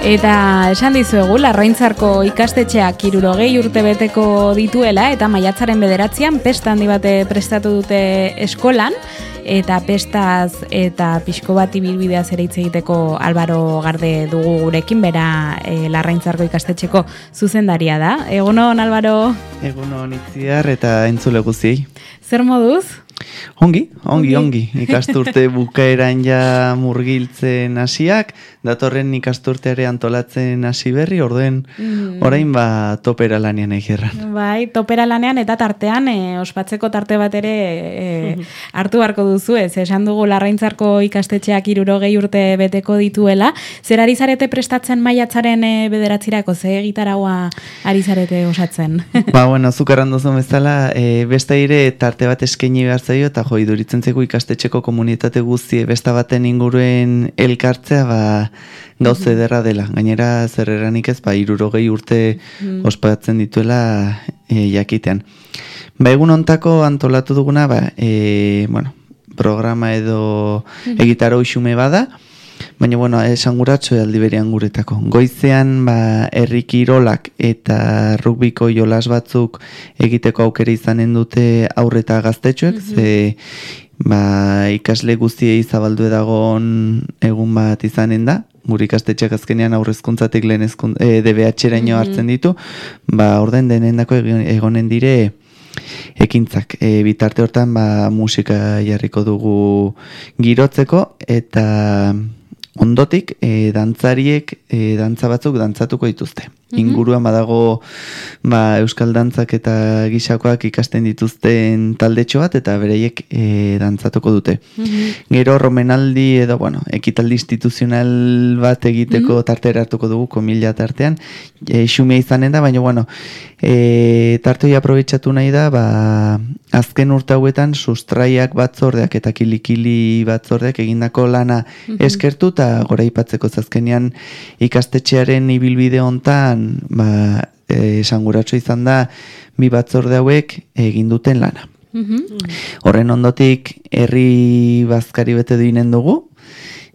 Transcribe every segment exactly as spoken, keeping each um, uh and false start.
Eta esan dizuegu, Larraintzarko ikastetxeak hirurogei urte beteko dituela eta maiatzaren bederatzian pesta handi bate prestatu dute eskolan, eta pestaz eta pixko bat ibilbideaz ere hitz egiteko Álvaro Garde dugu gurekin, bera e, Larraintzarko ikastetxeko zuzendaria da. Egunon, Álvaro? Egunon Itziar eta entzule guztiei. Zer moduz? Ongi, ongi, ongi. Ikasturte bukaeran ja murgiltzen hasiak, datorren ikasturteare antolatzen hasi berri, orduen mm. orain ba topera lanean egerran. Bai, topera lanean eta tartean e, ospatzeko tarte bat ere e, hartu beharko duzu, ez? Esan dugu Larraintzarko ikastetxeak hirurogei urte beteko dituela. Zer ari zarete prestatzen maiatzaren e, bederatzirako, ze gitaraua ari zarete osatzen? Ba, bueno, zukarran duzun bezala, e, besta ire tarte bat eskaini behar zaio, eta jo, iduritzen zeko ikastetxeko komunitate guztie besta baten inguruen elkartzea, ba, gauz ederra dela. Gainera, zer eranik ez, ba, hirurogei urte mm. ospatzen dituela e, jakitean. Ba, egun ontako antolatu duguna, ba, e, bueno, programa edo egitaro xume bada, baina, bueno, esanguratxo aldi berean guretako. Goizean, ba, herri kirolak eta rugbiko jolas batzuk egiteko aukera izanen dute aurre eta gaztetxoek, mm-hmm. ze ba, ikasle guztiei zabaldu edagon egun bat izanen da, gure ikastetxeak azkenean aurrezkuntzatik lehen ezkun, e, D B H-eraino hartzen ditu, ba, orden denendako egonen dire ekintzak. E, bitarte hortan, ba, musika jarriko dugu girotzeko, eta ondotik, e, dantzariek, e, dantza batzuk dantzatuko dituzte. Mm-hmm. Inguruan badago ba, euskal dantzak eta gisakoak ikasten dituzten taldetxo bat, eta bereiek e, dantzatuko dute. Mm-hmm. Gero romenaldi edo, bueno, ekitaldi instituzional bat egiteko mm-hmm. tartera hartuko dugu, komila tartean, e, xumea izanen da, baina, bueno, e, tartoi aprobetxatu nahi da, ba, azken urte hauetan sustraiak batzordeak eta kilikili batzordeak egindako lana mm-hmm. eskertu, eta gora ipatzeko azkenean ikastetxearen ibilbide hontan ba, e, esanguratxo izan da bi batzorde hauek egin duten lana. Mm-hmm. Horren ondotik herri bazkari bete duinen dugu.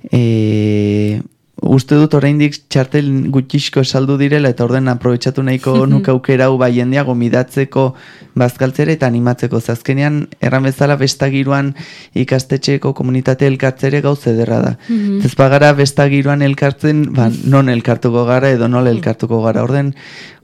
E, uste dut oraindik txartel gutxixko saldu direla, eta orden aprobetxatu nahiko nuke aukera hau bai jendea gomidatzeko bazkaltzera eta animatzeko. Azkenean erran bezala bestagiruan ikastetxeko komunitate elkartzere gauz ederra da. Mm-hmm. Ez bagara bestagiruan elkartzen, ba, non elkartuko gara edo nola elkartuko gara. Orden,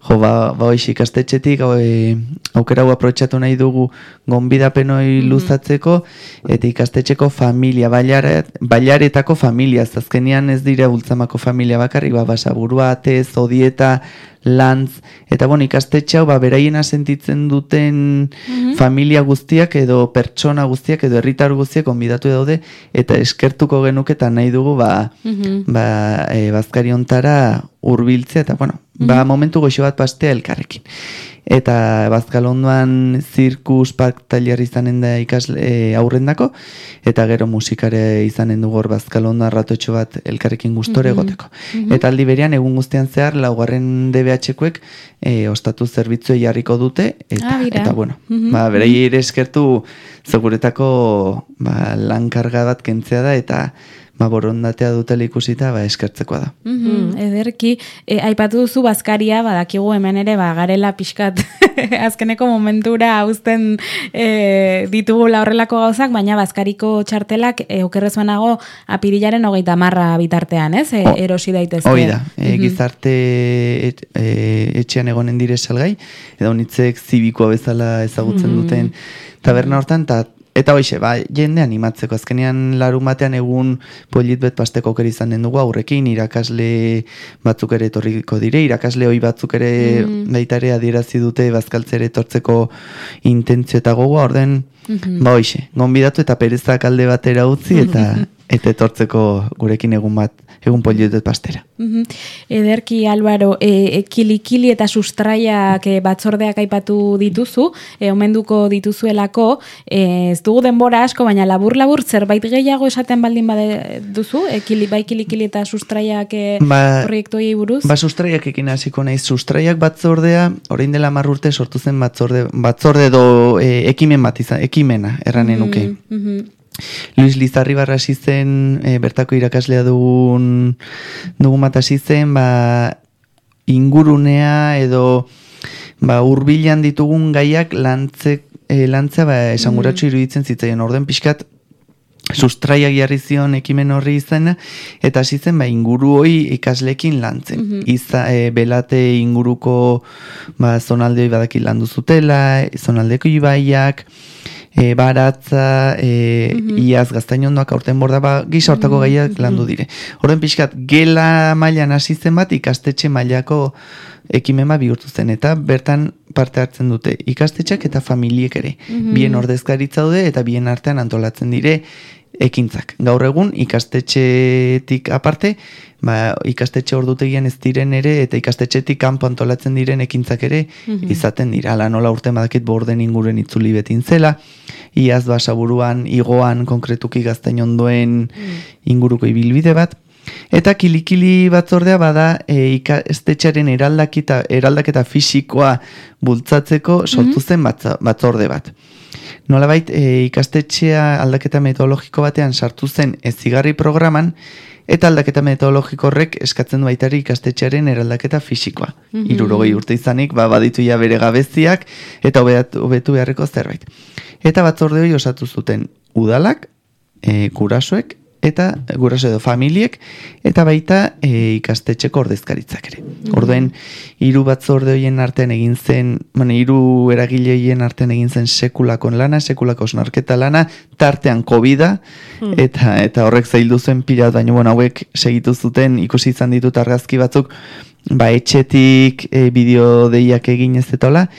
jo, ba, ba oiz ikastetxetik e, aukera hau aprobetxatu nahi dugu gonbidapenoi luzatzeko, eta ikastetxeko familia, bailaret, bailaretako familia, azkenean ez dira ultzamako familia bakarrik, ba, basaburua, ate, zodieta, lantz, eta bon, ikastetxe hau, ba, beraiena sentitzen duten mm-hmm. familia guztiak edo pertsona guztiak edo herritar guztiak onbidatu daude, eta eskertuko genuke eta nahi dugu, ba, mm-hmm. ba, e, bazkari ontara hurbiltzea, eta bueno, mm-hmm. ba, momentu goxo bat pastea elkarrekin. Eta bazkalondoan zirkus park tailer izanen da ikasle e, aurrendako, eta gero musikare izanen dugu hor bazkalondoa ratotxo bat elkarrekin gustore mm-hmm. egoteko. Mm-hmm. Eta aldi berean egun guztian zehar laugarren D B H-koek e, ostatu zerbitzue jarriko dute, eta, ah, eta bueno, mm-hmm. ba, berei ere eskertu seguretako ba, lan karga bat kentzea da, eta ba, borondatea dutela ikusita, ba, eskertzekoa da. Mm-hmm. Ederki, e, aipatu duzu bazkaria, badakigu hemen ere, ba, garela pixkat azkeneko momentura uzten e, ditugula horrelako gauzak, baina bazkariko txartelak e, okerrezuenago apirilaren hogeita marra bitartean, ez? E, erosi daitezke. Hoi da, e, mm-hmm. gizarte et, e, etxean egonen dire salgai, edo nitzek zibikoa bezala ezagutzen mm-hmm. duten taberna hortan, eta Eta hoxe, ba, jende animatzeko, azkenean larun batean egun polit bet pasteko aukera izan den dugu, aurrekin irakasle batzuk ere etorriko dire, irakasle hoi batzuk ere mm. baita ere adierazi dute bazkaltzere etortzeko intentzio eta gogoa, orden, mm-hmm. ba hoxe, gonbidatu eta perezak alde batera utzi, eta eta etortzeko gurekin egun bat, egun poliotet pastera. Mm-hmm. Ederki, Álvaro, e, e, kilikili eta sustraiak e, batzordeak aipatu dituzu, e, omenduko dituzuelako, e, ez dugu denbora asko, baina labur-labur zerbait gehiago esaten baldin bade duzu, e, kili, bai kilikili eta sustraiak e, ba, proiektuei buruz? Ba, sustraiak ekin hasiko naiz, sustraiak batzordea, orain dela hamar urte sortu zen batzorde, batzorde do e, ekimen bat izan, ekimena, erranen nuke. Mm-hmm. Luis Lizarribarra hasi zen, e, bertako irakaslea dugun, dugun bat hasi zen, ba, ingurunea edo ba, urbilan ditugun gaiak lantze, e, lantza ba, esanguratsu iruditzen zitzaion. Orden pixkat, sustraiak jarri zion ekimen horri izena, eta hasi zen ba, inguru hoi ikaslekin lantzen. Mm-hmm. Iza, e, belate inguruko ba, zonalde hoi badaki landu zutela, zonaldeko ibaiak, E, baratza, e, mm-hmm. iaz gaztainondoak aurten borda, ba, gisa hortako mm-hmm. gaiak landu dire. Horren pixkat, gela mailan hasi zen bat ikastetxe mailako ekimema bihurtu zen, eta bertan parte hartzen dute ikastetxeak eta familiek ere. Mm-hmm. Bien ordezkaritza daude eta bien artean antolatzen dire ekintzak. Gaur egun ikastetxetik aparte, ba, ikastetxe ordutegian ez diren ere eta ikastetxetik kanpo antolatzen diren ekintzak ere mm-hmm. izaten dira. Ala nola urte badakit borden inguren itzuli betin zela, iaz basaburuan, igoan konkretuki gaztainondoen mm. inguruko ibilbide bat, eta kilikili batzordea bada e, ikastetxearen eraldaketa, eraldaketa fisikoa bultzatzeko sortu zen batza, batzorde bat. Nolabait, e, ikastetxea aldaketa metodologiko batean sartu zen ezigarri programan, eta aldaketa metodologiko horrek eskatzen du baitari ikastetxearen eraldaketa fisikoa. Mm-hmm. Hirurogei urte izanik, ba, baditu ja bere gabeziak, eta hobetu beharreko zerbait. Eta batzorde hori osatu zuten udalak, e, gurasoek, eta guraso edo familiek, eta baita e, ikastetxeko ordezkaritzak ere. Mm-hmm. Orduen, hiru batzorde horien artean egin zen, bueno, hiru eragile horien artean egin zen sekulako lana, sekulako osnarketa lana, tartean kobida, mm. eta eta horrek zaildu zen pila, baina bueno, hauek segitu zuten, ikusi izan ditut argazki batzuk, ba, etxetik e, bideo deiak egin ez etola,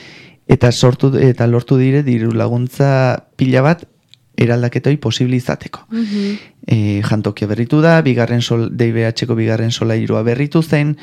eta sortu eta lortu dire diru laguntza pila bat eraldaketoi posible izateko. Mm-hmm. E, jantokia berritu da, bigarren sol, D B H-ko bigarren solairua berritu zen,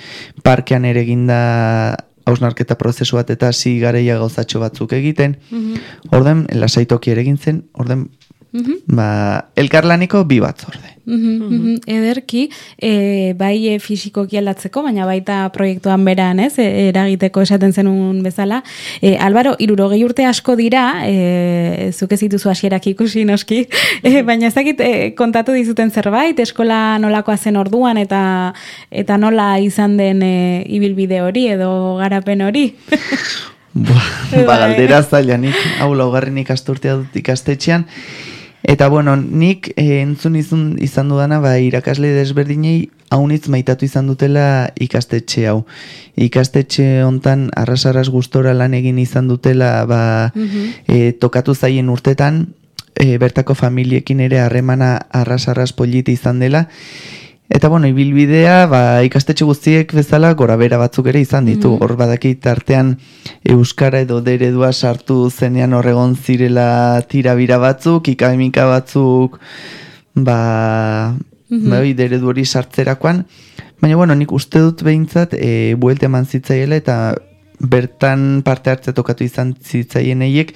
parkean ere eginda hausnarketa prozesu bat eta hasi gareia gauzatxo batzuk egiten. Mm-hmm. Orden, lasaitoki ere egin zen, orden, mm-hmm. ba, elkarlaniko bi batzorde. Mm-hmm, mm-hmm. Ederki, e, bai e, fisikoki aldatzeko, baina baita proiektuan beran, ez, e, eragiteko esaten zenun bezala. E, Albaro, hirurogei urte asko dira, e, zuke zituzu hasierak ikusi noski, e, baina ezakit e, kontatu dizuten zerbait, eskola nolakoa zen orduan, eta eta nola izan den e, ibilbide hori edo garapen hori. Ba, ba galdera zailanik, hau laugarren ikasturtea dut ikastetxean. Eta bueno, nik eh, entzun izun, izan dudana, ba, irakasle desberdinei haunitz maitatu izan dutela ikastetxe hau. Ikastetxe hontan arras-arras gustora lan egin izan dutela, ba, mm-hmm. eh, tokatu zaien urtetan, eh, bertako familiekin ere harremana arras-arras politi izan dela. Eta bueno, ibilbidea, ba, ikastetxe guztiek bezala gora bera batzuk ere izan ditu. Mm-hmm. Hor badakit artean euskara edo deredua sartu zenean horregon zirela tirabira batzuk, ikademika batzuk, ba, mm-hmm. ba deredu hori sartzerakoan. Baina bueno, nik uste dut behintzat e, buelte eman zitzaiela eta bertan parte hartze tokatu izan zitzaien eiek,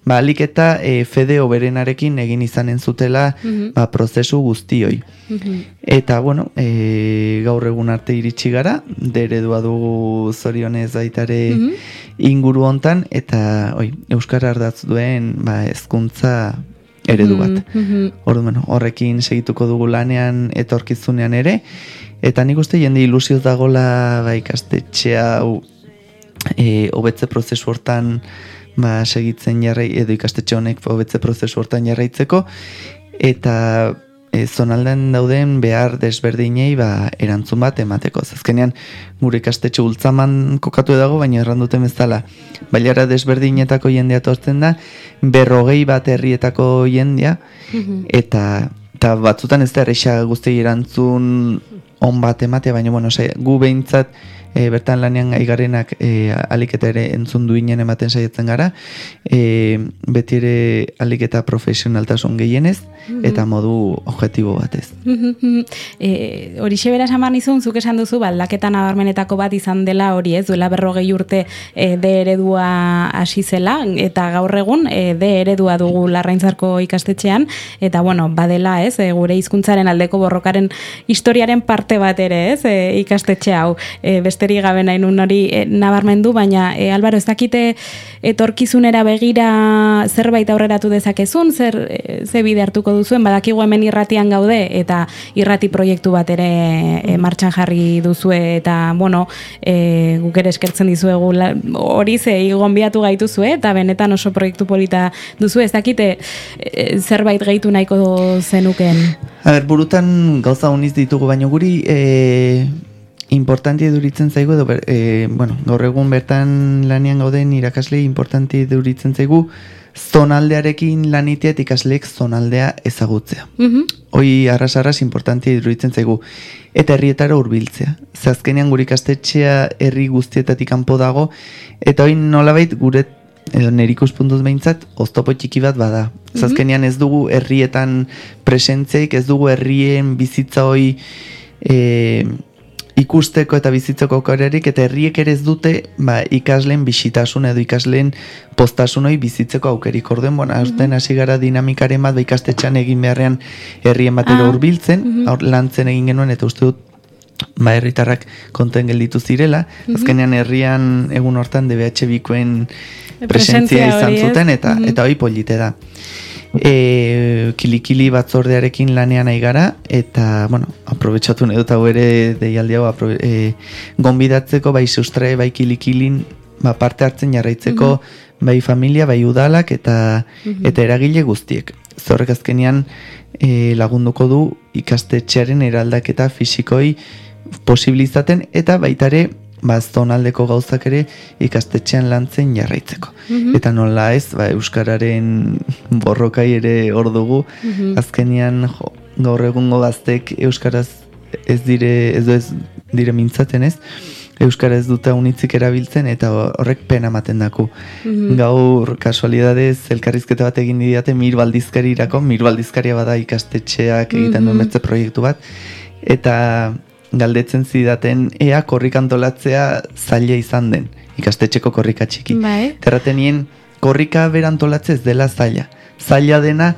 ba, alik eta e, fede oberenarekin egin izanen zutela mm-hmm. ba, prozesu guztioi. Mm-hmm. Eta, bueno, e, gaur egun arte iritsi gara, deredua dugu zorionez baitare mm-hmm. inguru hontan, eta oi, euskara ardatz duen ba, hezkuntza eredu bat. Mm-hmm. Ordu, bueno, horrekin segituko dugu lanean etorkizunean ere, eta nik uste jende ilusioz dagola ba, ikastetxea hau E, hobetze prozesu hortan ba, segitzen jarrai, edo ikastetxe honek hobetze prozesu hortan jarraitzeko, eta e, zonaldean dauden behar desberdinei ba, erantzun bat emateko. Azkenean gure ikastetxe ultzaman kokatu dago, baina erranduten bezala bailara desberdinetako jendea tortzen da, berrogei bat herrietako jendea, mm-hmm. eta, eta batzutan ez da erreixa guzti erantzun on bat ematea, baina bueno, sai, gu behintzat E, bertan lanean gaigarenak e, alik eta ere entzun duinen ematen saiatzen gara, e, beti ere alik eta profesionaltasun gehienez, mm-hmm. eta modu objektibo batez. Mm-hmm. E, hori xeberaz aman izun, zuk esan duzu, baldaketan abarmenetako bat izan dela hori ez, duela berrogei urte e, de eredua hasi zela, eta gaur egun e, de eredua dugu Larraintzarko ikastetxean, eta bueno, badela ez, e, gure hizkuntzaren aldeko borrokaren historiaren parte tarte bat ere, ez, e, ikastetxe hau, e, besterik gabe nahi nun hori e, nabarmendu, baina e, Albaro, ez dakite etorkizunera begira zerbait aurreratu dezakezun, zer e, ze bide hartuko duzuen, badakigu hemen irratian gaude, eta irrati proiektu bat ere e, martxan jarri duzue, eta, bueno, e, guk ere eskertzen dizuegu hori ze gonbiatu gaituzue, eta benetan oso proiektu polita duzu, ez dakite e, zerbait gehitu nahiko zenuken. A ber, burutan gauza honiz ditugu, baina guri e, importanti eduritzen zaigu, edo, e, bueno, gaur egun bertan lanean gauden irakasle importanti eduritzen zaigu, zonaldearekin lanitea eta ikasleek zonaldea ezagutzea. Mm-hmm. Hoi arras-arras importanti eduritzen zaigu. Eta herrietara hurbiltzea. Zazkenean gure ikastetxea herri guztietatik kanpo dago, eta hoi nolabait gure edo nerikus puntuz behintzat, oztopo txiki bat bada. Zazkenean ez dugu herrietan presentzeik, ez dugu herrien bizitza hoi e, ikusteko eta bizitzeko aukerarik, eta herriek ere ez dute ba, ikasleen bisitasun edo ikasleen postasun hoi bizitzeko aukerik. Orden, bueno, aurten hasi gara dinamikaren bat, ba, ikastetxean egin beharrean herrien batera hurbiltzen, ah. aur, lantzen egin genuen, eta uste dut ba, herritarrak konten gelditu zirela. Mm-hmm. Azkenean herrian egun hortan D B H bikoen presentzia izan zuten, eta mm-hmm. eta hoi polite da. E, kilikili batzordearekin lanean nahi gara, eta, bueno, aprobetsatu nahi dut hau ere deialdi hau, e, gonbidatzeko bai sustrae, bai kilikilin, ba, parte hartzen jarraitzeko, mm-hmm. bai familia, bai udalak, eta, mm-hmm. eta eragile guztiek. Zorrek azkenean e, lagunduko du ikastetxearen eraldaketa fisikoi posibilizaten, eta baitare ba, zonaldeko gauzak ere ikastetxean lantzen jarraitzeko. Mm-hmm. Eta nola ez, ba, euskararen borrokai ere hor dugu, mm-hmm. azkenean jo, gaur egungo gaztek euskaraz ez dire, ez, ez dire mintzaten ez, euskara ez dute unitzik erabiltzen, eta horrek pena ematen daku. Mm-hmm. Gaur, kasualidadez, elkarrizketa bat egin didate Mir Baldizkarirako, Mir Baldizkaria bada ikastetxeak egiten mm-hmm. duen betze proiektu bat, eta galdetzen zidaten ea korrika antolatzea zaila izan den, ikastetxeko korrika txiki. Bai. Terratenien korrika berantolatze ez dela zaila. Zaila dena,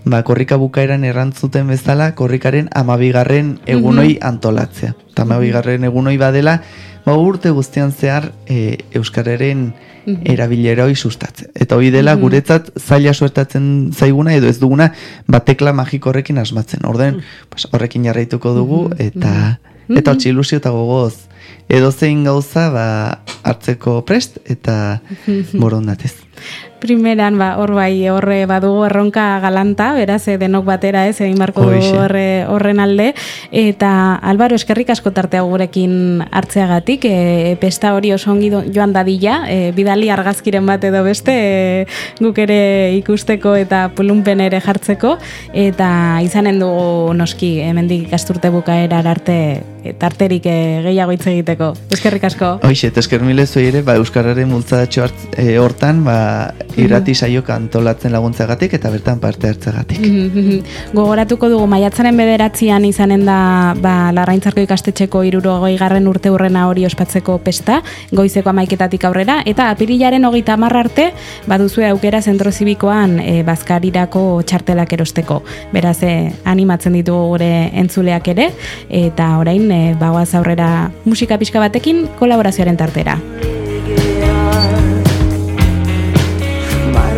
ba, korrika bukaeran errantzuten bezala, korrikaren amabigarren egunoi mm-hmm. antolatzea. Eta amabigarren egunoi badela, ba, urte guztian zehar e, euskararen mm-hmm. erabilera hoi sustatzen. Eta hori dela mm-hmm. guretzat zaila suertatzen zaiguna, edo ez duguna, ba, tekla magiko horrekin asmatzen. Orden, mm-hmm. pues, horrekin jarraituko dugu, eta... Mm-hmm. Eta hotxe ilusio eta gogoz, edo zein gauza ba, hartzeko prest eta borondatez. Primeran, ba, hor bai, horre badugu erronka galanta, beraz, denok batera ez, egin barko horre, horren alde. Eta, Albaro, eskerrik asko tartea gurekin hartzeagatik, e, pesta hori oso ongi joan dadila, e, bidali argazkiren bat edo beste, e, guk ere ikusteko eta pulunpen ere jartzeko, eta izanen dugu noski, hemendik ikasturte bukaerar arte, e, tarterik e, gehiago hitz egiteko. Eskerrik asko. Hoxe, eta esker mile zoi ere, ba, euskararen multzadatxo e, hortan, ba, irrati saioka antolatzen laguntzagatik eta bertan parte hartzagatik. Gogoratuko dugu maiatzaren bederatzian izanen da ba, Larraintzarko ikastetxeko hirurogei garren urte urrena hori ospatzeko pesta, goizeko hamaiketatik aurrera, eta apirilaren hogeita hamar arte baduzue aukera zentro zibikoan e, bazkarirako txartelak erosteko. Beraz, e, animatzen ditugu gure entzuleak ere, eta orain e, bagoaz aurrera musika pixka batekin kolaborazioaren tartera.